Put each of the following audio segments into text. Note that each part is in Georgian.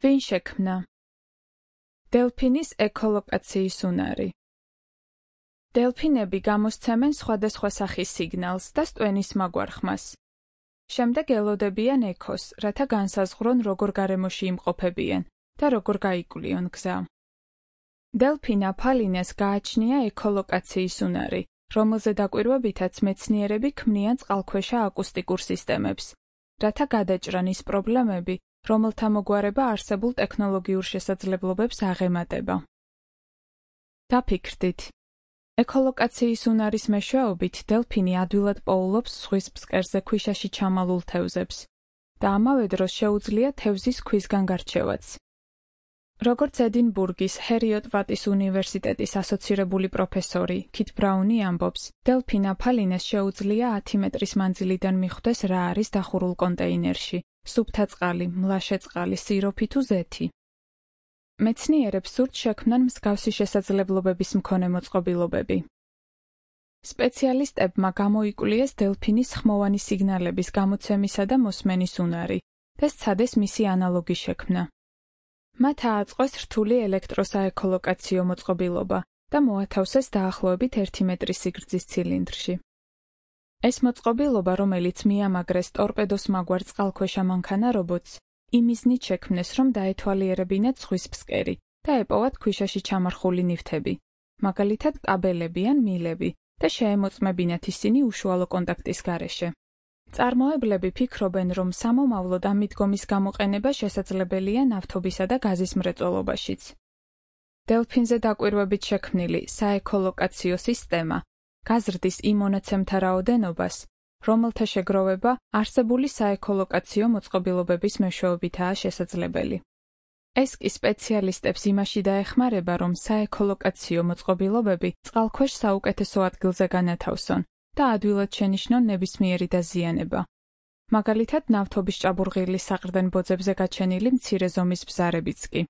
ვინ შექმნა? დელფინის ეკოლოკაციის უნარი. დელფინები გამოსცემენ სხვადასხვა სახის სიგნალს და სტვენის მაგვარ შემდეგ ელოდებიან ექოს, რათა განსაზღვრონ როგორ გარემოში იმყოფებიან და როგორ გაიკვლიონ გზა. დელფინა ფალინეს გააჩნია ეკოლოკაციის უნარი, რომელზე დაკვირვებითაც მეცნიერები ქმნიან წყალქვეშა აკუსტიკურ სისტემებს, რათა გადაჭრან ის პრობლემები, რომელთა მოგვარება არსებულ ტექნოლოგიურ შესაძლებლობებს აღემატება. დაფიქრდით. ეკოლოკაციის უნარის მეშვეობით დელფინი ადვილად პოულობს ზღვის ფსკერზე ქვიშაში ჩამალულ თევზებს და ამავე დროს შეუძლია თევზის ქვისგან გარჩევაც. როგორც ედინბურგის ჰერიოტ ვატის უნივერსიტეტის ასოცირებული პროფესორი ქით ბრაუნი ამბობს, დელფინა ფალინეს შეუძლია 10 მეტრის მანძილიდან მიხვდეს რა არის დახურულ კონტეინერში, სუფთა წყალი, მლაშე წყალი, სიროფი თუ ზეთი. მეცნიერებს სურთ შექმნან მსგავსი შესაძლებლობების მქონე მოწყობილობები. სპეციალისტებმა გამოიკვლიეს დელფინის ხმოვანი სიგნალების გამოცემისა და მოსმენის უნარი და სცადეს მისი ანალოგი შექმნა. მათ ააწყვეს რთული ელექტროსაეკოლოკაციო მოწყობილობა და მოათავსეს დაახლოებით 1 მეტრის სიგრძის ცილინდრში. ეს მოწყობილობა, რომელიც მიამაგრეს ტორპედოს მაგვარ წყალქვეშა მანქანა რობოტს, იმიზნით შექმნეს, რომ დაეთვალიერებინათ ზღვის ფსკერი და ეპოვათ ქვიშაში ჩამარხული ნივთები, მაგალითად კაბელები ან მილები და შეემოწმებინათ ისინი უშუალო კონტაქტის გარეშე. წარმოებლები ფიქრობენ, რომ სამომავლოდ ამ მიდგომის გამოყენება შესაძლებელია ნავთობისა და გაზის მრეწველობაშიც. დელფინზე დაკვირვებით შექმნილი საეკოლოკაციო სისტემა გაზრდის იმ მონაცემთა რაოდენობას, რომელთა შეგროვება არსებული საეკოლოკაციო მოწყობილობების მეშვეობითაა შესაძლებელი. ეს კი სპეციალისტებს იმაში დაეხმარება, რომ საეკოლოკაციო მოწყობილობები წყალქვეშ საუკეთესო ადგილზე განათავსონ და ადვილად შენიშნონ ნებისმიერი დაზიანება. მაგალითად, ნავთობის ჭაბურღილის საყრდენ ბოძებზე გაჩენილი მცირე ზომის ბზარებიც კი.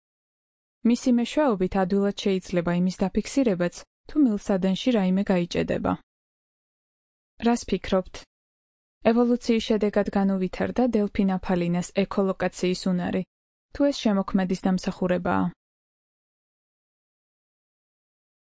მისი მეშვეობით ადვილად შეიძლება იმის დაფიქსირებაც, თუ მილსადენში რაიმე გაიჭედება. რას ფიქრობთ? ევოლუციის შედეგად განუვითარდა დელფინა ფალინას ეკოლოკაციის უნარი, თუ ეს შემოქმედის დამსახურებაა?